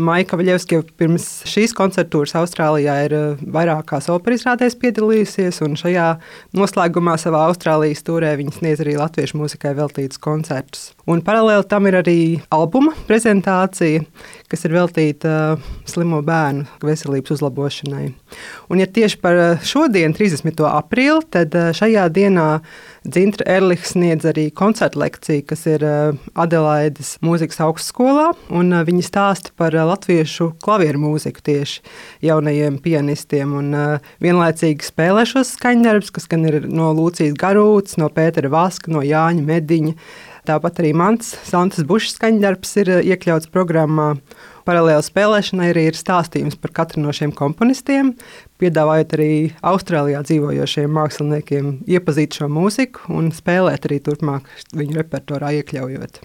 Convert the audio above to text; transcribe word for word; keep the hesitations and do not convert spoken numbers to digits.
Maija Kavaļevska jau pirms šīs koncertūras Austrālijā ir vairākās operas izrādēs piedalījusies, un šajā noslēgumā savā Austrālijas turē viņa sniedz arī latviešu mūzikai veltītus koncertus. Un paralēli tam ir arī albuma prezentācija, kas ir veltīta slimo bērnu veselības uzlabošanai. Un, ja tieši par šodienu, trīsdesmito aprīli, tad šajā dienā Dzintra Erliha sniedz arī koncertu lekciju, kas ir Adelaides mūzikas augstskolā, un viņi stāsta par latviešu klavieru mūziku tieši jaunajiem pianistiem, un vienlaicīgi spēlē šos skaņdarbus, kas gan ir no Lūcijas Garūtas, no Pētera Vaska, no Jāņa Mediņa. Tāpat arī mans Santas Bušas skaņdarbs ir iekļauts programmā. Paralēli spēlēšanai arī ir stāstījums par katru no šiem komponistiem, piedāvājot arī Austrālijā dzīvojošiem māksliniekiem iepazīt šo mūziku un spēlēt arī turpmāk viņu repertuārā iekļaujot.